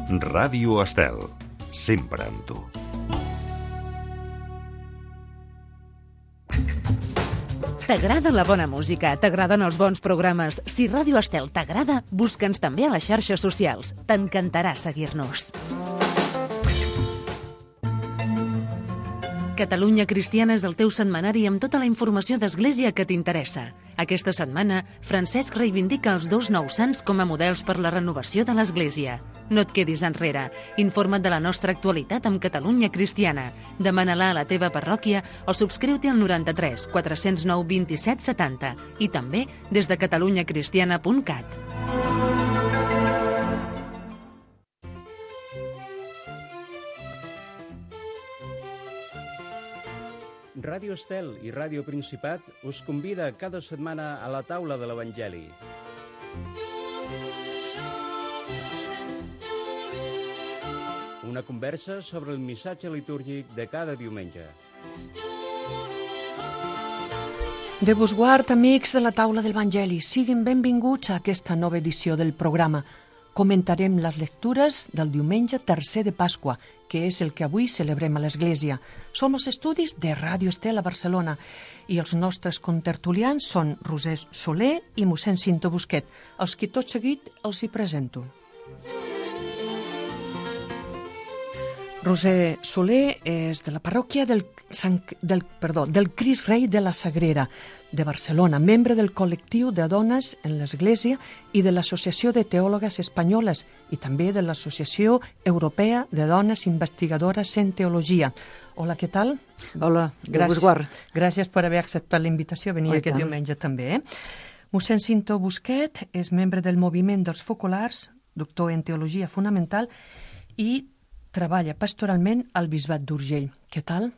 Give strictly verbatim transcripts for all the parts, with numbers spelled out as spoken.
Ràdio Estel, sempre amb tu. T'agrada la bona música? T'agraden els bons programes? Si Ràdio Estel t'agrada, busca'ns també a les xarxes socials. T'encantarà seguir-nos. Catalunya Cristiana és el teu setmanari amb tota la informació d'Església que t'interessa. Aquesta setmana, Francesc reivindica els dos nous sants com a models per la renovació de l'Església. No et quedis enrere. Informa't de la nostra actualitat amb Catalunya Cristiana. Demana-la a la teva parròquia o subscriu-te al noranta-tres quatre cents nou vint-i-set setanta i també des de catalunya cristiana punt cat. Ràdio Estel i Ràdio Principat us convida cada setmana a la taula de l'Evangeli. Una conversa sobre el missatge litúrgic de cada diumenge. Déu vos guard, amics de la taula de l'Evangeli. Siguin benvinguts a aquesta nova edició del programa. Comentarem les lectures del diumenge tercer de Pasqua, que és el que avui celebrem a l'Església. Som els estudis de Ràdio Estel a Barcelona i els nostres contertulians són Roser Soler i mossèn Cinto Busquet, els qui tot seguit els hi presento. Roser Soler és de la parròquia del, Sant, del, perdó, del Crist Rei de la Sagrera de Barcelona, membre del col·lectiu de dones en l'Església i de l'Associació de Teòlogues Espanyoles i també de l'Associació Europea de Dones Investigadores en Teologia. Hola, què tal? Hola, gràcies, gràcies per haver acceptat la invitació a venir oh, aquest diumenge també. Eh? Mossèn Cinto Busquet és membre del Moviment dels Focolars, doctor en Teologia Fonamental i treballa pastoralment al Bisbat d'Urgell. Què tal?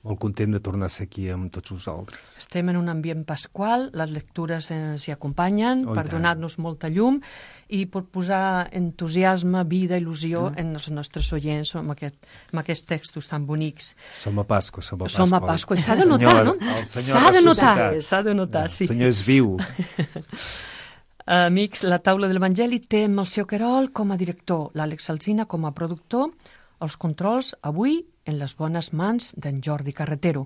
Molt content de tornar a ser aquí amb tots vosaltres. Estem en un ambient pasqual, les lectures ens hi acompanyen oh, per donar-nos molta llum i per posar entusiasme, vida, il·lusió mm. en els nostres oients amb, aquest, amb aquests textos tan bonics. Som a Pasqua, som a Pasqua. Som a Pasqua i s'ha de notar, no? S'ha de notar, s'ha de notar, sí. El Senyor és viu. Amics, la taula de l'Evangeli té el seu Querol com a director, l'Àlex Alsina com a productor, els controls avui en les bones mans d'en Jordi Carretero.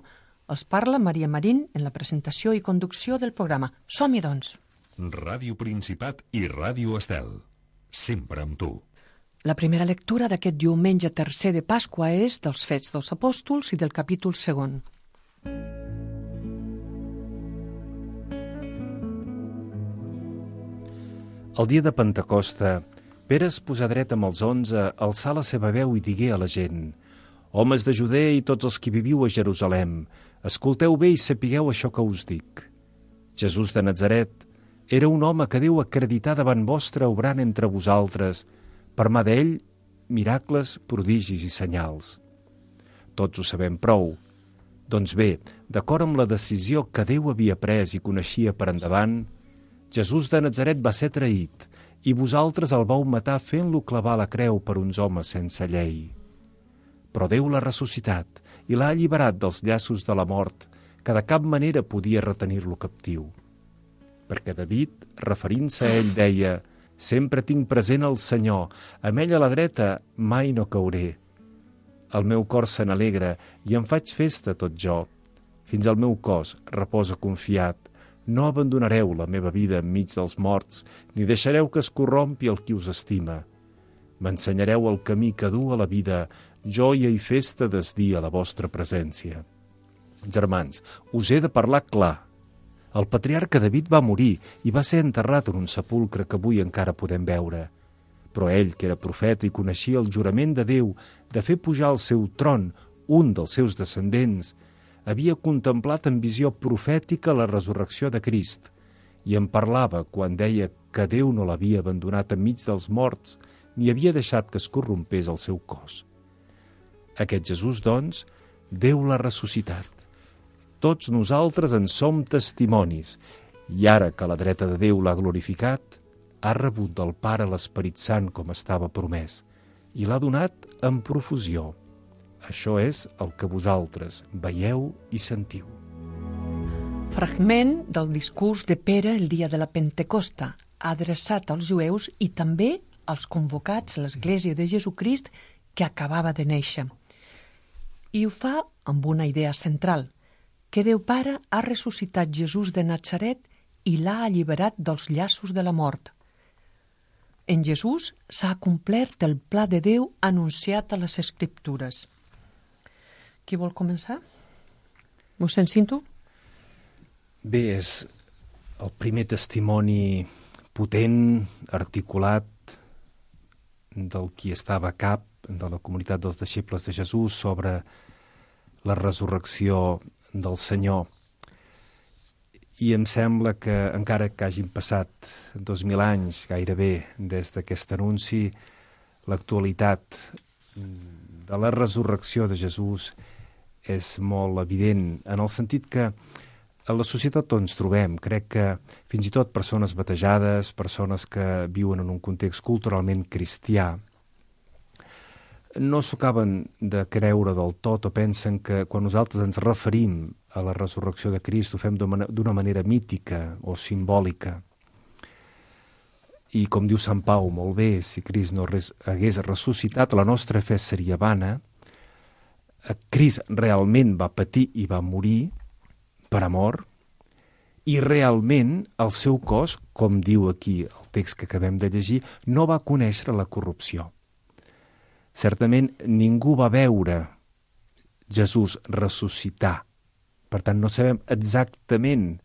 Els parla Maria Marín en la presentació i conducció del programa. Som-hi, doncs. Ràdio Principat i Ràdio Estel. Sempre amb tu. La primera lectura d'aquest diumenge tercer de Pasqua és dels Fets dels Apòstols i del capítol segon. El dia de Pentecosta, Pere es posà dret amb els onze, alçà la seva veu i digué a la gent: «Homes de Judea i tots els que viviu a Jerusalem, escolteu bé i sapigueu això que us dic. Jesús de Natzaret era un home que Déu acredità davant vostre obrant entre vosaltres, per mà d'ell, miracles, prodigis i senyals. Tots ho sabem prou. Doncs bé, d'acord amb la decisió que Déu havia pres i coneixia per endavant, Jesús de Natzaret va ser traït, i vosaltres el vau matar fent-lo clavar a la creu per uns homes sense llei. Però Déu l'ha ressuscitat i l'ha alliberat dels llaços de la mort, que de cap manera podia retenir-lo captiu. Perquè David, referint-se a ell, deia: «Sempre tinc present el Senyor, amb ell a la dreta mai no cauré. El meu cor se n'alegra i em faig festa tot jo. Fins al meu cos reposa confiat. No abandonareu la meva vida enmig dels morts, ni deixareu que es corrompi el qui us estima. M'ensenyareu el camí que du a la vida, joia i festa desdir a la vostra presència». Germans, us he de parlar clar. El patriarca David va morir i va ser enterrat en un sepulcre que avui encara podem veure. Però ell, que era profeta i coneixia el jurament de Déu de fer pujar al seu tron un dels seus descendents, havia contemplat en visió profètica la resurrecció de Crist i en parlava quan deia que Déu no l'havia abandonat enmig dels morts ni havia deixat que es corrompés el seu cos. Aquest Jesús, doncs, Déu l'ha ressuscitat. Tots nosaltres en som testimonis i ara que la dreta de Déu l'ha glorificat, ha rebut del Pare l'Esperit Sant com estava promès i l'ha donat en profusió. Això és el que vosaltres veieu i sentiu. Fragment del discurs de Pere el dia de la Pentecosta, adreçat als jueus i també als convocats, l'Església de Jesucrist, que acabava de néixer. I ho fa amb una idea central, que Déu Pare ha ressuscitat Jesús de Natzaret i l'ha alliberat dels llaços de la mort. En Jesús s'ha complert el pla de Déu anunciat a les Escriptures. Qui vol començar? Mossèn Cinto? Bé, és el primer testimoni potent, articulat, del qui estava a cap de la comunitat dels deixebles de Jesús sobre la resurrecció del Senyor. I em sembla que, encara que hagin passat dos mil anys gairebé des d'aquest anunci, l'actualitat de la resurrecció de Jesús és molt evident, en el sentit que a la societat on ens trobem, crec que fins i tot persones batejades, persones que viuen en un context culturalment cristià, no s'ho acaben de creure del tot o pensen que quan nosaltres ens referim a la resurrecció de Crist ho fem d'una manera mítica o simbòlica. I com diu Sant Pau molt bé, si Crist no res, hagués ressuscitat, la nostra fe seria vana. Crist realment va patir i va morir per amor, i realment el seu cos, com diu aquí el text que acabem de llegir, no va conèixer la corrupció. Certament ningú va veure Jesús ressuscitar. Per tant, no sabem exactament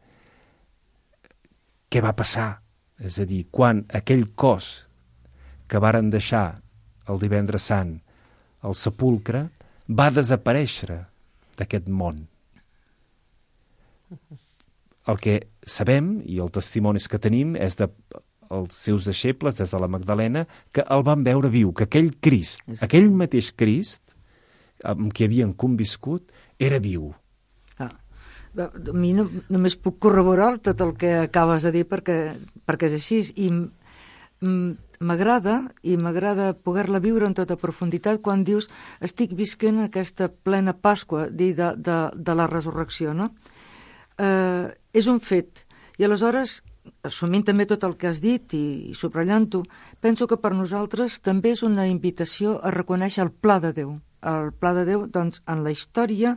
què va passar. És a dir, quan aquell cos que varen deixar el divendres sant al sepulcre va desaparèixer d'aquest món. El que sabem, i els testimonis que tenim, és de els seus deixebles, des de la Magdalena, que el van veure viu, que aquell Crist, aquell mateix Crist, amb qui havien conviscut, era viu. Ah, a mi no, només puc corroborar tot el que acabes de dir perquè, perquè és així, i m'agrada, i m'agrada poder-la viure en tota profunditat quan dius estic visquent aquesta plena Pasqua de, de, de la resurrecció, no? Eh, és un fet, i aleshores, assumint també tot el que has dit i, i subratllant-ho, penso que per nosaltres també és una invitació a reconèixer el pla de Déu, el pla de Déu doncs, en la història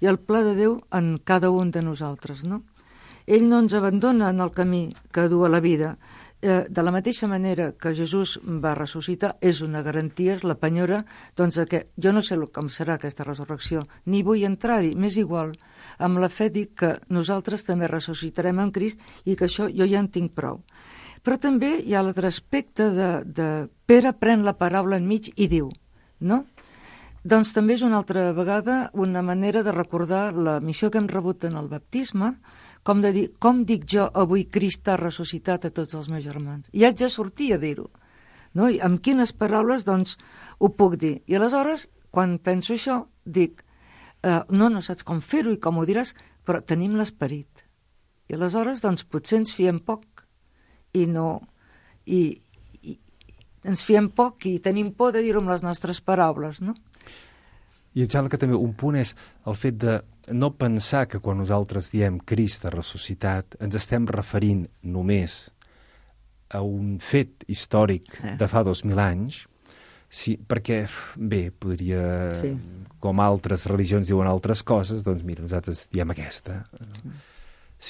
i el pla de Déu en cada un de nosaltres, no? Ell no ens abandona en el camí que du a la vida. Eh, de la mateixa manera que Jesús va ressuscitar, és una garantia, és la penyora, doncs que jo no sé com serà aquesta resurrecció, ni vull entrar-hi, m'és igual. Amb la fe dic que nosaltres també ressuscitarem amb Crist i que això jo ja en tinc prou. Però també hi ha l'altre aspecte de, de Pere pren la paraula enmig i diu, no? Doncs també és una altra vegada una manera de recordar la missió que hem rebut en el baptisme, com de dir, com dic jo avui Crist ha ressuscitat a tots els meus germans? I haig de sortir a dir-ho. No? I amb quines paraules, doncs, ho puc dir? I aleshores, quan penso això, dic, eh, no, no saps com fer-ho i com ho diràs, però tenim l'esperit. I aleshores, doncs, potser ens fiem poc i no... I, i ens fiem poc i tenim por de dir-ho amb les nostres paraules, no? I em sembla que també un punt és el fet de no pensar que quan nosaltres diem Crist ha ressuscitat ens estem referint només a un fet històric de fa dos mil anys, sí, perquè, bé, podria, sí. com altres religions diuen altres coses, doncs mira, nosaltres diem aquesta. Sí.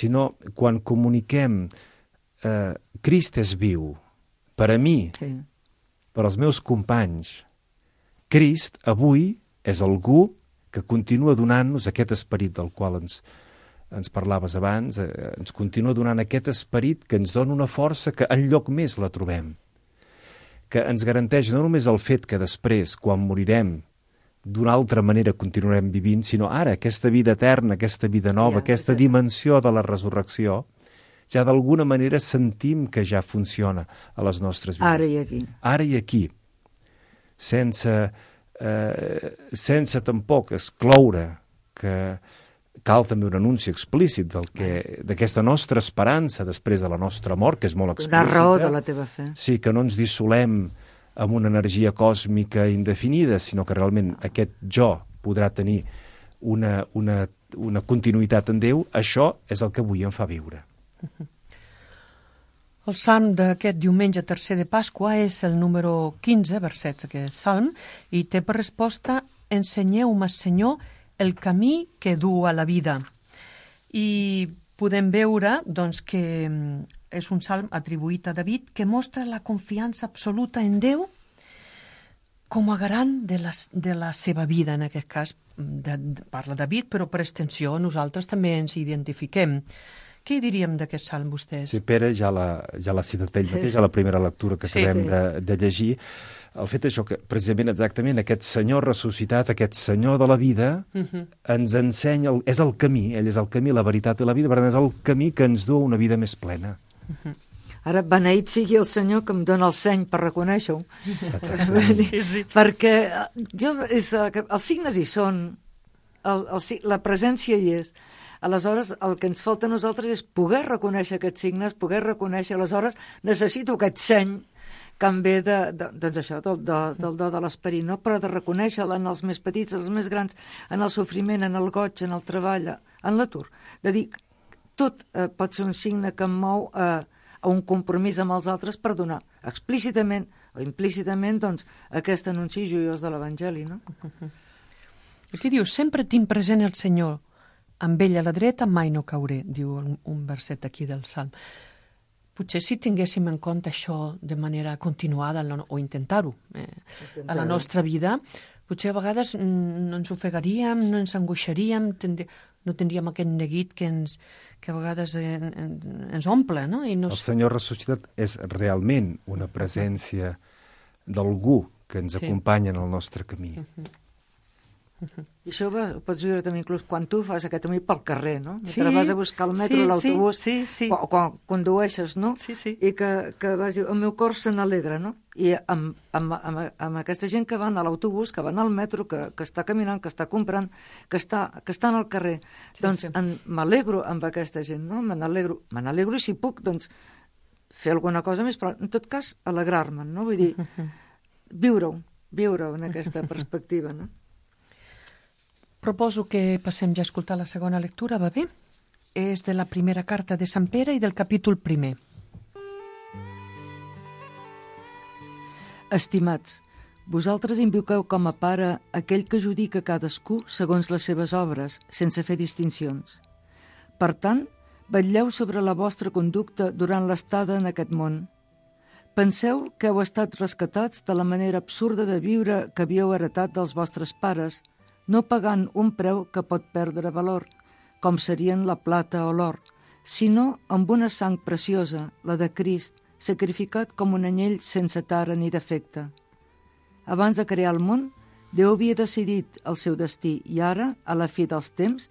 Sinó, quan comuniquem eh, Crist és viu, per a mi, sí. per als meus companys, Crist avui és algú que continua donant-nos aquest esperit del qual ens, ens parlaves abans, eh, ens continua donant aquest esperit que ens dona una força que enlloc més la trobem, que ens garanteix no només el fet que després, quan morirem, d'una altra manera continuarem vivint, sinó ara, aquesta vida eterna, aquesta vida nova, ja, aquesta sí. dimensió de la resurrecció, ja d'alguna manera sentim que ja funciona a les nostres vides. Ara i aquí. Ara i aquí. Sense... Eh, sense tampoc excloure que cal també un anunci explícit del que, d'aquesta nostra esperança després de la nostra mort, que és molt explícita. La raó de la teva fe. Sí, que no ens dissolem amb una energia còsmica indefinida, sinó que realment aquest jo podrà tenir una, una, una continuïtat en Déu. Això és el que avui em fa viure. El salm d'aquest diumenge tercer de Pasqua és el número quinze, versets aquest salm, i té per resposta: ensenyeu-me, Senyor, el camí que du a la vida. I podem veure doncs, que és un salm atribuït a David que mostra la confiança absoluta en Déu com a garant de la, de la seva vida, en aquest cas. De, de, parla David, però per extensió nosaltres també ens identifiquem. Què hi diríem d'aquest salm, vostès? Sí, Pere ja l'ha ja citat ell mateix, a la primera lectura que acabem sí, sí. De, de llegir. El fet això, que precisament exactament aquest senyor ressuscitat, aquest senyor de la vida, uh-huh. ens ensenya, el, és el camí, ell és el camí, la veritat i la vida, per tant és el camí que ens du a una vida més plena. Uh-huh. Ara, beneït sigui el Senyor que em dona el seny per reconèixer-ho. Exactament. Sí, sí. Perquè jo, és, els signes hi són, el, el, la presència hi és. Aleshores, el que ens falta a nosaltres és poder reconèixer aquests signes, poder reconèixer, aleshores necessito aquest seny que em ve de, de, doncs això, del, de, del do de l'esperit, no? Però de reconèixer-la en els més petits, els més grans, en el sofriment, en el goig, en el treball, en l'atur. De dir, tot eh, pot ser un signe que em mou eh, a un compromís amb els altres per donar explícitament o implícitament doncs, aquest anunci joiós de l'Evangeli, no? Aquí diu, sempre tinc present el Senyor, amb ell a la dreta mai no cauré, diu un verset aquí del Salm. Potser si tinguéssim en compte això de manera continuada, o intentar-ho, eh, a la nostra vida, potser a vegades no ens ofegaríem, no ens angoixaríem, tindrí, no tindríem aquest neguit que, ens, que a vegades en, en, ens omple. No? I no... El Senyor ressuscitat és realment una presència d'algú que ens sí. acompanya en el nostre camí. Uh-huh. Uh-huh. I això ho pots viure també inclús quan tu fas aquest camí pel carrer, no? Sí, Mentre vas a buscar el metro, sí, l'autobús, sí, sí, sí. o quan condueixes, no? Sí, sí. I que, que vas dir, el meu cor se n'alegra, no? I amb, amb, amb, amb aquesta gent que van a l'autobús, que van al metro, que, que està caminant, que està comprant, que està, que està al carrer, sí, doncs sí. En, m'alegro amb aquesta gent, no? Me n'alegro, me n'alegro i si puc, doncs, fer alguna cosa més, però en tot cas, alegrar-me'n, no? Vull dir, viure-ho, viure-ho en aquesta perspectiva, no? Proposo que passem ja a escoltar la segona lectura, va bé? És de la primera carta de Sant Pere i del capítol primer. Estimats, vosaltres invoqueu com a pare aquell que judica cadascú segons les seves obres, sense fer distincions. Per tant, vetlleu sobre la vostra conducta durant l'estada en aquest món. Penseu que heu estat rescatats de la manera absurda de viure que havíeu heretat dels vostres pares, no pagant un preu que pot perdre valor, com serien la plata o l'or, sinó amb una sang preciosa, la de Crist, sacrificat com un anyell sense tara ni defecte. Abans de crear el món, Déu havia decidit el seu destí i ara, a la fi dels temps,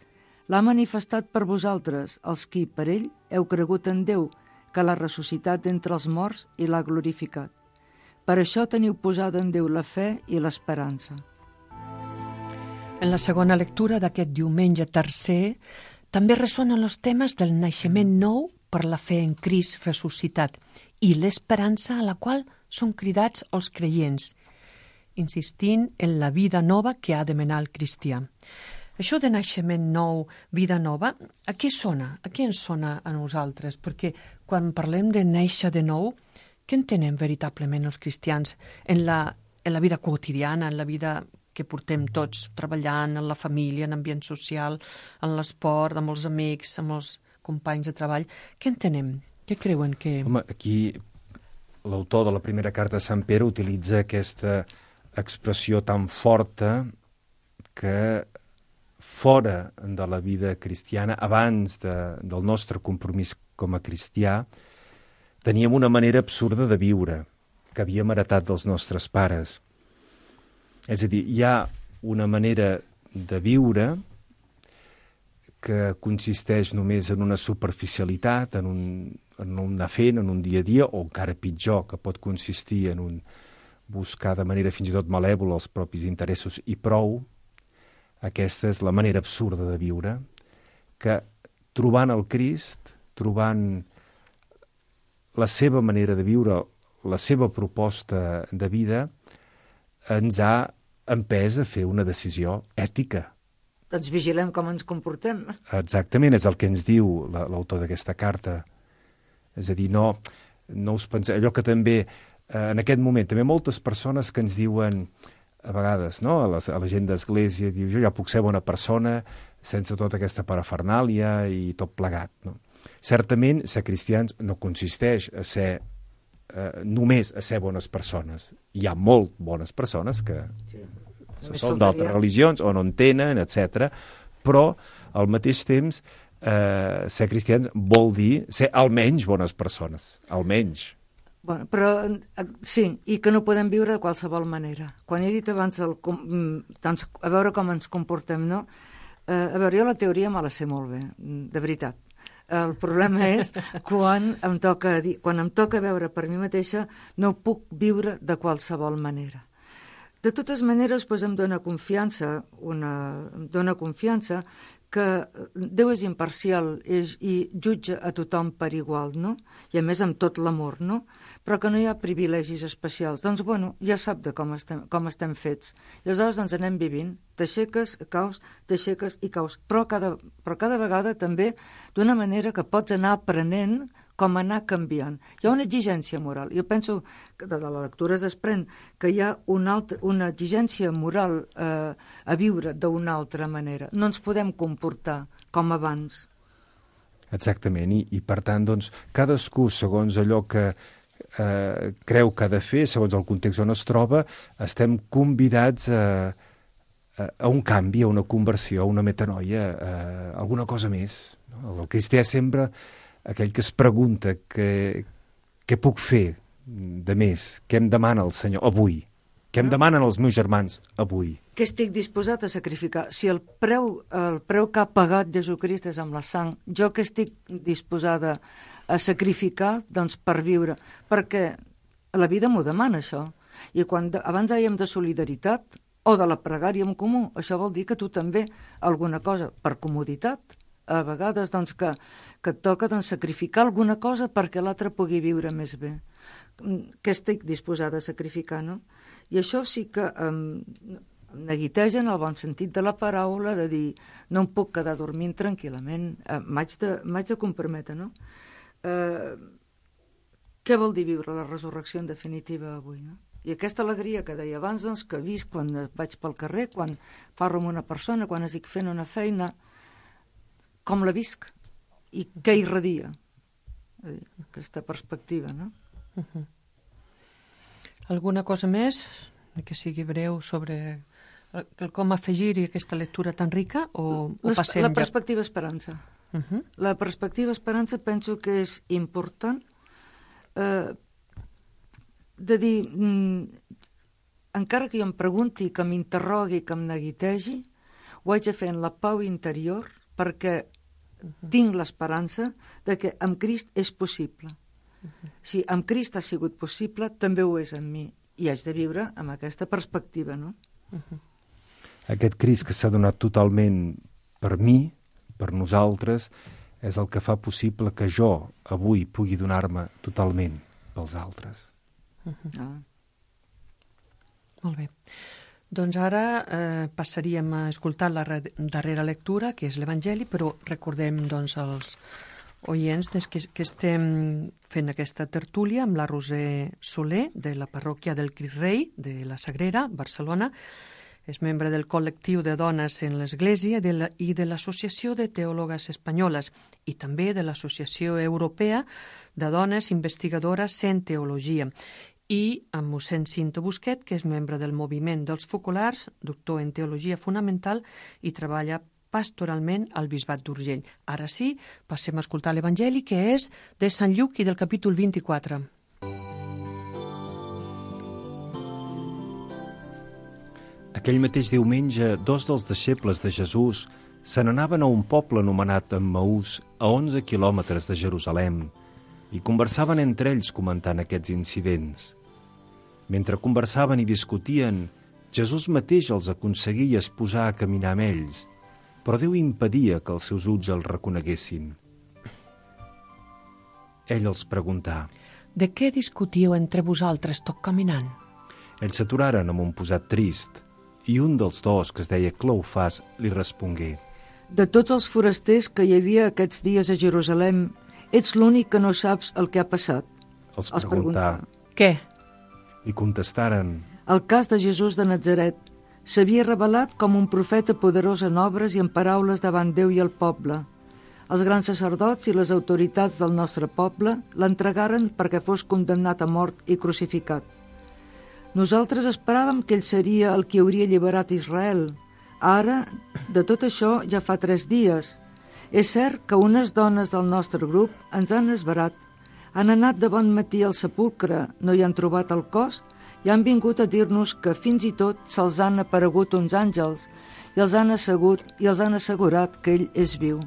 l'ha manifestat per vosaltres, els qui, per ell, heu cregut en Déu, que l'ha ressuscitat entre els morts i l'ha glorificat. Per això teniu posada en Déu la fe i l'esperança. En la segona lectura d'aquest diumenge tercer també ressonen els temes del naixement nou per la fe en Crist ressuscitat i l'esperança a la qual són cridats els creients, insistint en la vida nova que ha de menar el cristià. Això de naixement nou, vida nova, a què sona? A què ens sona a nosaltres? Perquè quan parlem de néixer de nou, què entenem veritablement els cristians en la, en la vida quotidiana, en la vida que portem tots, treballant en la família, en l'ambient social, en l'esport, amb els amics, amb els companys de treball? Què entenem? Què creuen que... Home, aquí l'autor de la primera carta de Sant Pere utilitza aquesta expressió tan forta que fora de la vida cristiana, abans de, del nostre compromís com a cristià, teníem una manera absurda de viure que havíem heretat dels nostres pares. És a dir, hi ha una manera de viure que consisteix només en una superficialitat, en un, en un anar fent, en un dia a dia, o encara pitjor, que pot consistir en un buscar de manera fins i tot malèvola els propis interessos i prou. Aquesta és la manera absurda de viure, que trobant el Crist, trobant la seva manera de viure, la seva proposta de vida, ens ha empès a fer una decisió ètica. Doncs vigilem com ens comportem. Exactament, és el que ens diu l'autor d'aquesta carta. És a dir, no, no us penseu, allò que també, eh, en aquest moment, també moltes persones que ens diuen, a vegades, no?, a la, a la gent d'església, diu, jo ja puc ser bona persona sense tota aquesta parafernàlia i tot plegat, no? Certament, ser cristians no consisteix a ser eh, només a ser bones persones. Hi ha molt bones persones que sí. són d'altres religions o no en tenen, etcètera. Però, al mateix temps, eh, ser cristians vol dir ser almenys bones persones. Almenys. Bueno, però sí, i que no podem viure de qualsevol manera. Quan he dit abans el, doncs, a veure com ens comportem, no? Eh, a veure, jo la teoria me la sé molt bé, de veritat. El problema és quan em toca dir, quan em toca veure per mi mateixa, no puc viure de qualsevol manera. De totes maneres, doncs, em dóna confiança, una, em dóna confiança que Déu és imparcial és, i jutja a tothom per igual, no? I a més amb tot l'amor, no? Però que no hi ha privilegis especials. Doncs, bueno, ja sap de com estem, com estem fets. I aleshores, doncs, anem vivint, t'aixeques, caus, t'aixeques i caus. Però cada, però cada vegada també d'una manera que pots anar aprenent com anar canviant. Hi ha una exigència moral. Jo penso que de la lectura es desprèn que hi ha una, altra, una exigència moral eh, a viure d'una altra manera. No ens podem comportar com abans. Exactament, i, i per tant, doncs, cadascú, segons allò que eh, creu que ha de fer, segons el context on es troba, estem convidats a, a, a un canvi, a una conversió, a una metanoia, a alguna cosa més. No? El cristià sempre aquell que es pregunta què, què puc fer de més, què em demana el Senyor avui, què em demanen els meus germans avui. Què estic disposat a sacrificar? Si el preu, el preu que ha pagat Jesucrist és amb la sang, jo que estic disposada a sacrificar doncs, per viure, perquè la vida m'ho demana això. I quan de, abans dèiem de solidaritat o de la pregària en comú, això vol dir que tu també alguna cosa per comoditat, a vegades doncs, que, que et toca doncs, sacrificar alguna cosa perquè l'altre pugui viure més bé. Què estic disposada a sacrificar, no? I això sí que em neguiteja en el bon sentit de la paraula, de dir, no em puc quedar dormint tranquil·lament, eh, m'haig de, m'haig de comprometre, no? Eh, què vol dir viure la resurrecció en definitiva avui, no? I aquesta alegria que deia abans, doncs, que visc quan vaig pel carrer, quan parlo amb una persona, quan estic fent una feina, com la visc i què irradia. Aquesta perspectiva, no? Uh-huh. Alguna cosa més que sigui breu sobre el com afegir-hi aquesta lectura tan rica o, o passem la perspectiva ja... esperança. Uh-huh. La perspectiva esperança penso que és important eh, de dir mm, encara que jo em pregunti, que m'interrogui, que em neguitegi, ho haig de fer en la pau interior perquè uh-huh. tinc l'esperança de que amb Crist és possible. Uh-huh. Si amb Crist ha sigut possible, també ho és amb mi. I haig de viure amb aquesta perspectiva, no? Uh-huh. Aquest Crist que s'ha donat totalment per mi, per nosaltres, és el que fa possible que jo avui pugui donar-me totalment pels altres. Uh-huh. Ah. Molt bé. Doncs ara eh, passaríem a escoltar la re- darrera lectura, que és l'Evangeli, però recordem doncs, als oients des que, que estem fent aquesta tertúlia amb la Roser Soler, de la parròquia del Crist Rei, de la Sagrera, Barcelona. És membre del col·lectiu de dones en l'Església de la, i de l'Associació de Teòlogues Espanyoles i també de l'Associació Europea de Dones Investigadores en Teologia. I amb mossèn Cinto Busquet, que és membre del Moviment dels Focolars, doctor en Teologia Fonamental i treballa pastoralment al Bisbat d'Urgell. Ara sí, passem a escoltar l'Evangeli, que és de Sant Lluc i del capítol vint-i-quatre. Aquell mateix diumenge, dos dels deixebles de Jesús se n'anaven a un poble anomenat Emmaús, a onze quilòmetres de Jerusalem, i conversaven entre ells comentant aquests incidents. Mentre conversaven i discutien, Jesús mateix els aconseguia posar a caminar amb ells, però Déu impedia que els seus ulls els reconeguessin. Ell els preguntà: «De què discutíeu entre vosaltres tot caminant?» Ells s'aturaren amb un posat trist, i un dels dos, que es deia Cleofàs, li respongué: De tots els forasters que hi havia aquests dies a Jerusalem, ets l'únic que no saps el que ha passat. Els Els preguntà. Què? I contestaren: El cas de Jesús de Natzaret s'havia revelat com un profeta poderós en obres i en paraules davant Déu i el poble. Els grans sacerdots i les autoritats del nostre poble l'entregaren perquè fos condemnat a mort i crucificat. Nosaltres esperàvem que ell seria el qui hauria alliberat Israel. Ara, de tot això, ja fa tres dies. És cert que unes dones del nostre grup ens han esverat. Han anat de bon matí al sepulcre, no hi han trobat el cos i han vingut a dir-nos que fins i tot se'ls han aparegut uns àngels i els han assegut i els han assegurat que ell és viu.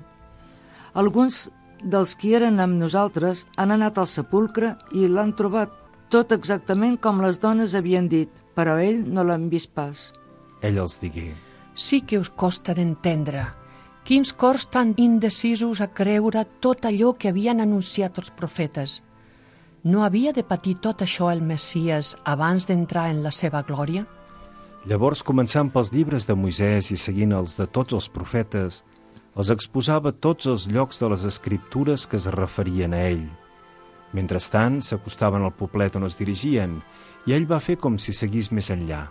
Alguns dels qui eren amb nosaltres han anat al sepulcre i l'han trobat tot exactament com les dones havien dit, però ell no l'han vist pas. Ell els digué: Sí que us costa d'entendre. Quins cors tan indecisos a creure tot allò que havien anunciat els profetes. No havia de patir tot això el Messies abans d'entrar en la seva glòria? Llavors, començant pels llibres de Moisès i seguint els de tots els profetes, els exposava tots els llocs de les escriptures que es referien a ell. Mentrestant, s'acostaven al poblet on es dirigien, i ell va fer com si seguís més enllà.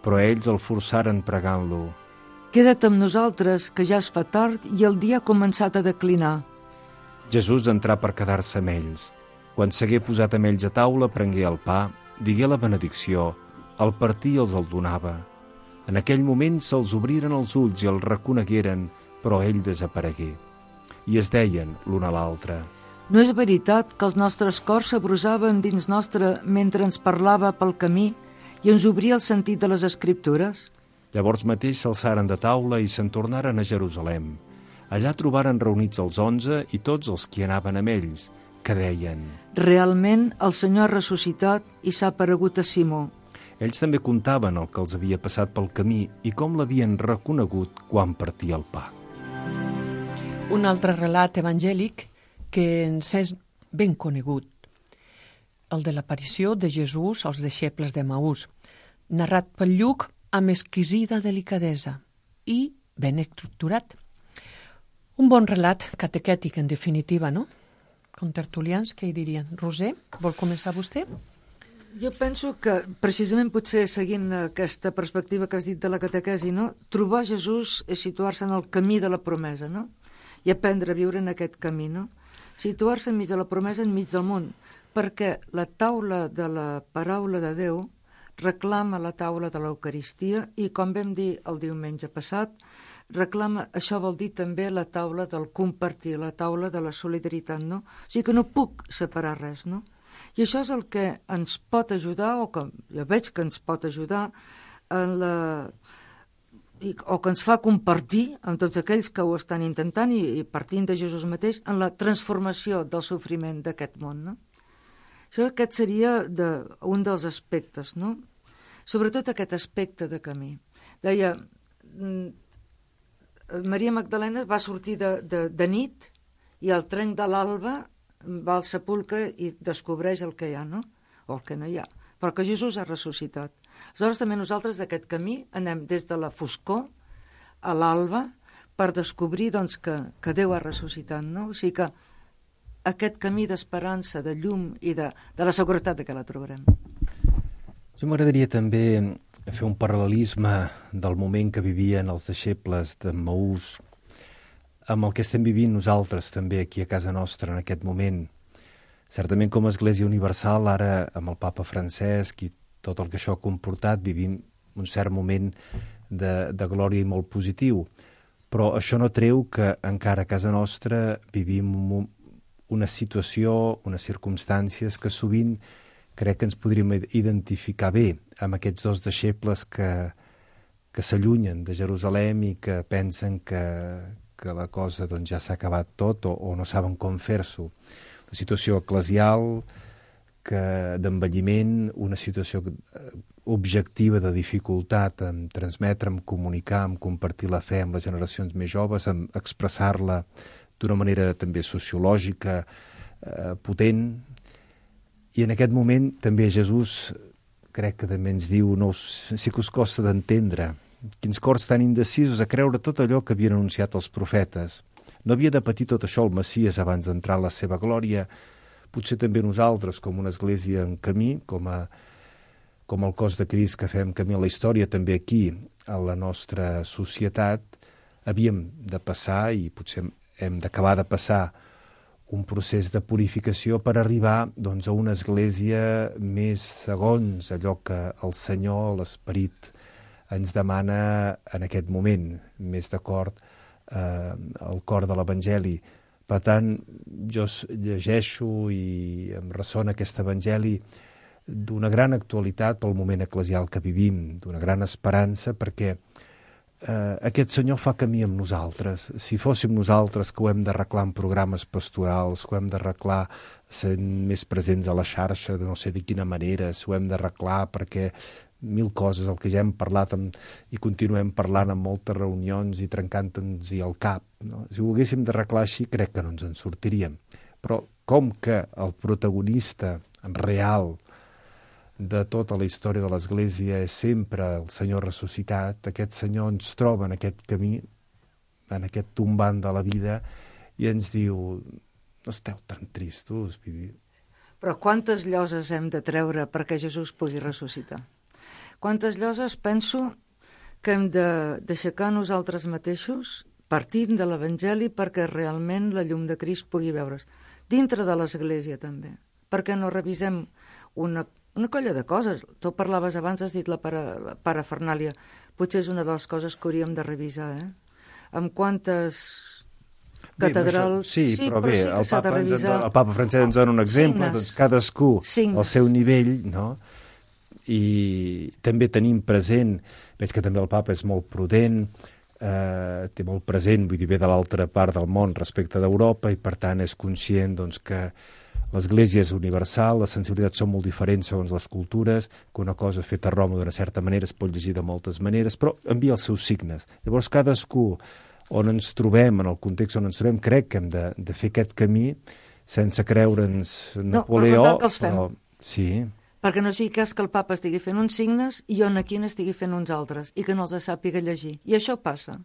Però ells el forçaren pregant-lo: Queda't amb nosaltres, que ja es fa tard i el dia ha començat a declinar. Jesús entrà per quedar-se amb ells. Quan s'hagué posat amb ells a taula, prengué el pa, digué la benedicció, el partí i els el donava. En aquell moment se'ls obriren els ulls i el reconegueren, però ell desaparegué. I es deien l'un a l'altre: No és veritat que els nostres cors s'abrusaven dins nostre mentre ens parlava pel camí i ens obria el sentit de les escriptures? Llavors mateix s'alçaren de taula i se'n tornaren a Jerusalem. Allà trobaren reunits els onze i tots els qui anaven amb ells, que deien: Realment el Senyor ha ressuscitat i s'ha aparegut a Simó. Ells també contaven el que els havia passat pel camí i com l'havien reconegut quan partia el pa. Un altre relat evangèlic que ens és ben conegut, el de l'aparició de Jesús als deixebles de Maús, narrat pel Lluc amb exquisida delicadesa i ben estructurat. Un bon relat catequètic, en definitiva, no? Contertulians, què hi dirien? Roser, vol començar vostè? Jo penso que, precisament potser seguint aquesta perspectiva que has dit de la catequesi, no? Trobar Jesús és situar-se en el camí de la promesa, no? I aprendre a viure en aquest camí, no? Situar-se enmig de la promesa, enmig del món, perquè la taula de la paraula de Déu reclama la taula de l'Eucaristia i, com vam dir el diumenge passat, reclama, això vol dir també la taula del compartir, la taula de la solidaritat, no? O sigui que no puc separar res, no? I això és el que ens pot ajudar, o que jo veig que ens pot ajudar, en la, i, o que ens fa compartir amb tots aquells que ho estan intentant i, i partint de Jesús mateix en la transformació del sofriment d'aquest món, no? Això aquest seria de, un dels aspectes, no? Sobretot aquest aspecte de camí. Deia, Maria Magdalena va sortir de, de, de nit i al trenc de l'alba va al sepulcre i descobreix el que hi ha, no? O el que no hi ha. Però que Jesús ha ressuscitat. Aleshores també nosaltres d'aquest camí anem des de la foscor a l'alba per descobrir doncs, que, que Déu ha ressuscitat, no? O sigui que aquest camí d'esperança, de llum i de, de la seguretat de que la trobarem. Jo m'agradaria també fer un paral·lelisme del moment que vivien els deixebles de Maús amb el que estem vivint nosaltres també aquí a casa nostra en aquest moment. Certament com a Església Universal, ara amb el Papa Francesc i tot el que això ha comportat, vivim un cert moment de, de glòria i molt positiu. Però això no treu que encara a casa nostra vivim un, una situació, unes circumstàncies que sovint crec que ens podríem identificar bé amb aquests dos deixebles que, que s'allunyen de Jerusalem i que pensen que, que la cosa doncs, ja s'ha acabat tot o, o no saben com fer-s'ho. Una situació eclesial, d'envelliment, una situació objectiva de dificultat en transmetre, en comunicar, en compartir la fe amb les generacions més joves, en expressar-la d'una manera també sociològica, eh, potent. I en aquest moment també Jesús crec que també ens diu, no, sí que us costa d'entendre, quins cors tan indecisos a creure tot allò que havien anunciat els profetes. No havia de patir tot això el Messies abans d'entrar en la seva glòria, potser també nosaltres, com una església en camí, com, a, com el cos de Crist que fem camí a la història, també aquí, a la nostra societat, havíem de passar, i potser hem d'acabar de passar, un procés de purificació per arribar doncs, a una església més segons allò que el Senyor, l'Esperit, ens demana en aquest moment, més d'acord eh, al cor de l'Evangeli. Per tant, jo llegeixo i em ressona aquest Evangeli d'una gran actualitat pel moment eclesial que vivim, d'una gran esperança, perquè eh, aquest Senyor fa camí amb nosaltres. Si fóssim nosaltres que ho hem d'arreglar en programes pastorals, que ho hem d'arreglar sent més presents a la xarxa, de no sé de quina manera, si ho hem d'arreglar perquè mil coses, el que ja hem parlat amb, i continuem parlant en moltes reunions i trencant-nos-hi el cap. No? Si ho haguéssim d'arreglar així, crec que no ens en sortiríem. Però com que el protagonista real de tota la història de l'Església és sempre el Senyor ressuscitat, aquest Senyor ens troba en aquest camí, en aquest tombant de la vida, i ens diu, no esteu tan tristos, vivir. Però quantes lloses hem de treure perquè Jesús pugui ressuscitar? Quantes lloses penso que hem d'aixecar nosaltres mateixos partint de l'Evangeli perquè realment la llum de Crist pugui veure's. Dintre de l'Església també. Perquè no revisem una, una colla de coses. Tu parlaves abans, has dit la, para, la parafernàlia. Potser és una de les coses que hauríem de revisar, eh? Amb quantes catedrals... Bé, això, sí, sí, però, però bé, sí el, Papa revisar... dona, el Papa Francesc ens dona un exemple, signes. Doncs cadascú Signes. Al seu nivell, no? I també tenim present, veig que també el Papa és molt prudent, eh, té molt present, vull dir, ve de l'altra part del món respecte d'Europa, i per tant és conscient doncs, que l'Església és universal, les sensibilitats són molt diferents segons les cultures, que una cosa feta a Roma d'una certa manera es pot llegir de moltes maneres, però envia els seus signes. Llavors cadascú on ens trobem, en el context on ens trobem, crec que hem de, de fer aquest camí sense creure'ns Napoleó. No, que els fem. Però, sí, perquè no sigui cas que el papa estigui fent uns signes i jo aquí n'estigui fent uns altres, i que no els sàpiga llegir. I això passa.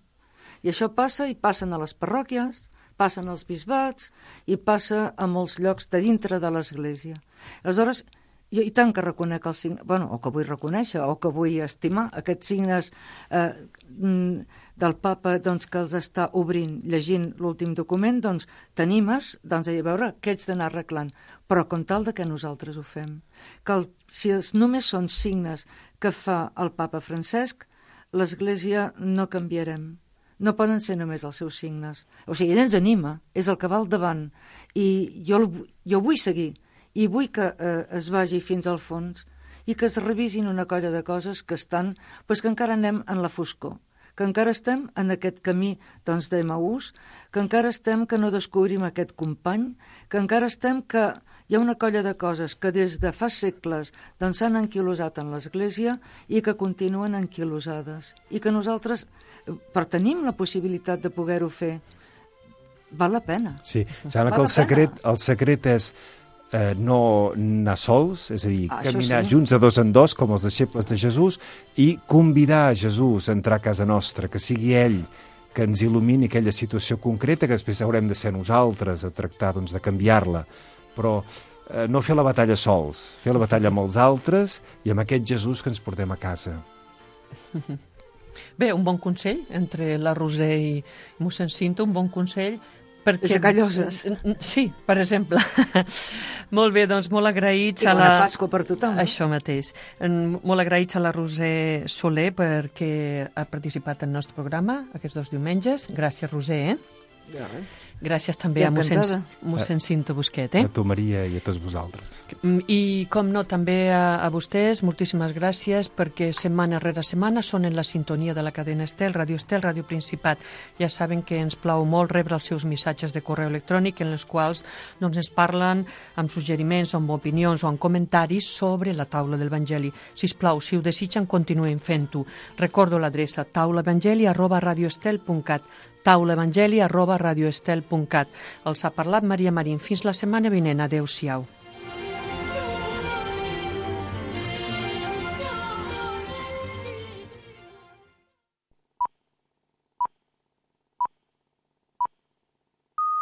I això passa i passen a les parròquies, passen als bisbats i passa a molts llocs de dintre de l'Església. Aleshores, jo i tant que reconec els signes, bueno, o que vull reconèixer, o que vull estimar aquests signes eh, del papa doncs, que els està obrint, llegint l'últim document, doncs t'animes doncs, a veure què ets d'anar arreglant, però com tal de que nosaltres ho fem. Que el, si els només són signes que fa el papa Francesc, l'Església no canviarem. No poden ser només els seus signes. O sigui, ell ens anima, és el que va al davant, i jo, jo vull seguir, i vull que eh, es vagi fins al fons i que es revisin una colla de coses que estan, doncs que encara anem en la foscor, que encara estem en aquest camí doncs, d'Emaús, que encara estem que no descobrim aquest company, que encara estem que hi ha una colla de coses que des de fa segles doncs, s'han anquilosat en l'Església i que continuen anquilosades, i que nosaltres, però tenim la possibilitat de poder-ho fer, val la pena. Sí, sembla que el secret, el secret és eh, no anar sols, és a dir, ah, caminar sí. junts de dos en dos, com els deixebles de Jesús, i convidar a Jesús a entrar a casa nostra, que sigui ell que ens il·lumini aquella situació concreta, que després haurem de ser nosaltres a tractar doncs, de canviar-la. Però eh, no fer la batalla sols, fer la batalla amb els altres i amb aquest Jesús que ens portem a casa. Bé, un bon consell entre la Roser i mossèn Cinto, un bon consell perquè... Aixecar lloses. Sí, per exemple. Molt bé, doncs molt agraïts I a la... I bona Pasqua per tothom. Això mateix. Molt agraïts a la Roser Soler perquè ha participat en el nostre programa aquests dos diumenges. Gràcies, Roser, eh? Ja, gràcies també a mossèn, mossèn Cinto Busquet, eh? A tu, Maria, i a tots vosaltres. I, com no, també a, a vostès, moltíssimes gràcies, perquè setmana rere setmana són en la sintonia de la cadena Estel, Ràdio Estel, Ràdio Principat. Ja saben que ens plau molt rebre els seus missatges de correu electrònic en els quals doncs, ens parlen amb suggeriments, amb opinions o amb comentaris sobre la taula del Evangeli. Sisplau, si ho desitgen, continuem fent-ho. Recordo l'adreça taulaevangeli arroba radioestel punt cat taulaevangeli arroba radioestel punt cat. Els ha parlat Maria Marín. Fins la setmana vinent. Adéu-siau.